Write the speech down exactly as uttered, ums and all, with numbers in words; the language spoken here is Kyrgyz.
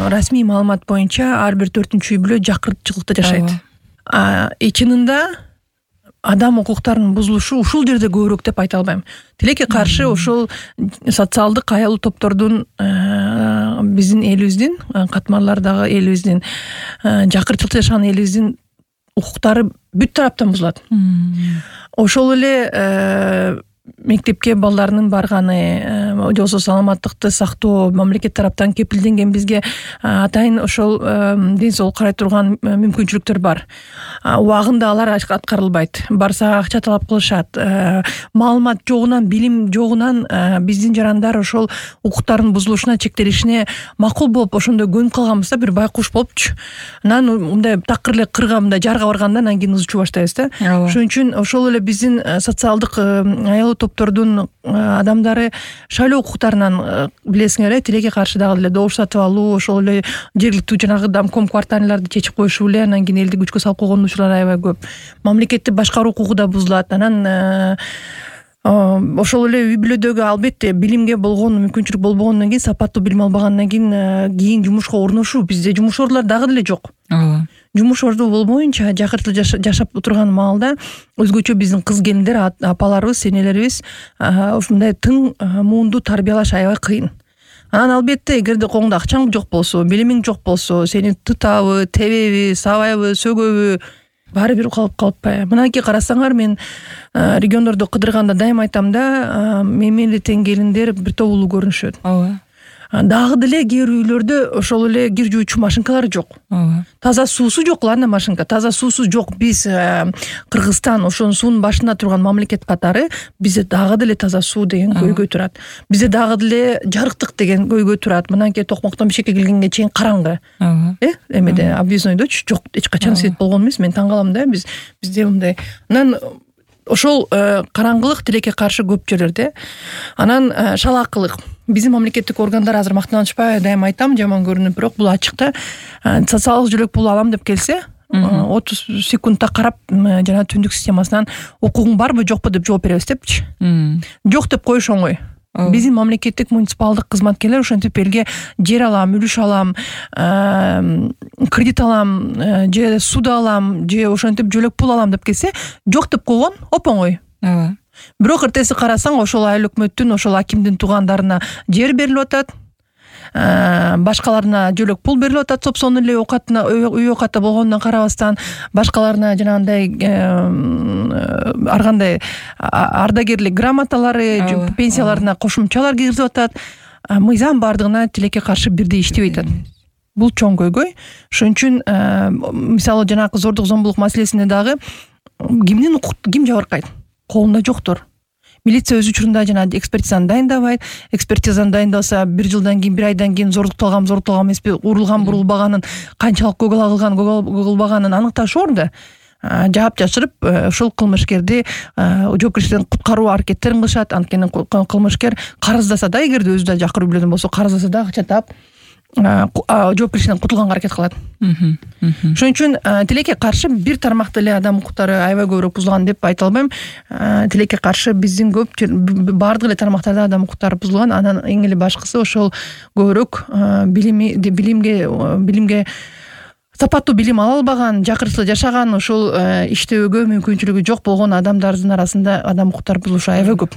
расмий маалымат боюнча ар бир төртүнчү үй бүлө жакыртчылыкта жашайт. И чынында адам укуктарынын бузулушу ушул жерде көбүрөөк деп айта албайм. Тилекке каршы ошол социалдык аялуу топтордун биздин элибиздин катмарлардагы элибиздин жакыртчылыкта жашаган элибиздин укуктары бүт тараптан бузулат. Ошол эле мектепке балдарынын барганы, болбосо саламаттыкты сактоо мамлекет тараптан кепилденген бизге атайын ошол ден соолук карай турган мүмкүнчүлүктөр бар. Убагында алар аткарылбайт. Барса акча талап кылышат. Маалымат жогунан, билим жогунан биздин жарандар ошол укуктардын бузулушуна, чектелишине макул болуп ошондо көнүп калганбыз да, бир байкуш болупчу. Анан мындай такыр эле кырга мындай жарга барганда анан кийин ызчуу баштайбыз да. Ошон үчүн ошол эле биздин социалдык аялуу топтордун адамдары шайлоо укуктарынан билесиңер э, тилекке каршы дагы эле добуш сатып алуу, ошол эле жергиликтүү жанагы домком кварталарды чечип коюшу эле анан кийин элди күчкө салып койгон учурлар аябай көп. Мамлекетти башкаруу укугу да бузулат. Анан ошол эле үй бүлөдөгү албетте билимге болгон мүмкүнчүлүк болбогондон кийин, сапаттуу билим албагандан кийин кийин жумушка орношуу, бизде жумуш орлор дагы деле жок. Ооба. Жумуш орду болбоюнча жакыртылып жашап турган маалда өзгөчө биздин кыз келиндер, апаларыбыз, энелерибиз ушундай тың муунду тарбиялаш аябай кыйын. Анан албетте эгерде колуңда акчаң жок болсо, билимиң жок болсо, сени тытабы, тебеби, сабайбы, сөгөбү, баары бир калып калпайбы. Мынакей карасаңар, мен региондордо кыдырганда дайым айтам да, мени тең келиндер бир топ улуу көрүнүшөт. Ооба. Дагы деле кээ бир үйлөрдө ошол эле кир жуучу машинкалар жок. Ооба. Таза суусу жок, ладно машинка, таза суусу жок. Биз Кыргызстан ошонун суунун башында турган мамлекет катары бизде дагы деле таза суу деген көйгөй турат. Бизде дагы деле жарыктык деген көйгөй турат. Мынакей Токмоктон Бишкекке келгенге чейин караңгы. Э, эмеде объезднойдочу жок, эч качан свет болгон эмес. Мен таң калам да, биз бизде мындай. Анан ошол караңгылык тилекке каршы көп жерлерде. Анан шалаакылык. Биздин мамлекеттик органдар азыр мактанышпай, дайым айтам, жаман көрүнүп, бирок бул ачыкта социалдык жөлөк пул алам деп келсе, отуз секундта карап, жана түндүк системасынан укугуң барбы, жокпу деп жооп беребиз депчи. Жок деп коюш оңой. Биздин мамлекеттик муниципалдык кызматкерлер ошентип элге жер алам, үлүш алам, кредит алам, же суда алам, же ошентип жөлөк пул алам деп келсе, жок деп койгон оп-оңой. Ооба. Бирок эртеси карасаң, ошол айыл өкмөттүн, ошол акимдин туугандарына жер берилип атат, башкаларына жөлөк пул берилип атат, сопсон эле оокатына, үй оокаты болгондон карабастан, башкаларына жанагындай ар кандай ардагерлик грамоталары, пенсияларына кошумчалар киргизип атат. Мыйзам бардыгына тилекке каршы бирдей иштебей атат. Бул чоң көйгөй. Ошон үчүн мисалы жанагы зордук зомбулук маселесинде дагы кимдин укукту ким жабыркайт? Колунда жоктор. Милиция өз учурунда жана экспертизаны дайындабайт. Экспертизаны дайындаса бир жылдан кийин, бир айдан кийин зордукталган, зордукталган эмеспи, урулган, бурулбаганын, канчалык көгал кылган, көгөлбаганын аныкташ орунда жаап жашырып, ошол кылмышкерди жоопкерчиликтен куткаруу аракеттерин кылышат. Анткени кылмышкер карыздаса да, эгерде өзү да жакыр үйлөрдөн болсо, карыздаса да акча таап жоопкерчиликтен кутулганга аракет кылат. Ошон үчүн тилекке каршы бир тармакта эле адам укуктары аябай көбүрөөк бузулган деп айта албайм. Тилекке каршы биздин көп бардык эле тармактарда адам укуктары бузулган. Анан эң эле башкысы ошол көбүрөөк билими билимге билимге сапаттуу билим ала албаган, жакыртылып жашаган, ошол иштөөгө мүмкүнчүлүгү жок болгон адамдардын арасында адам укуктары бузулушу аябай көп.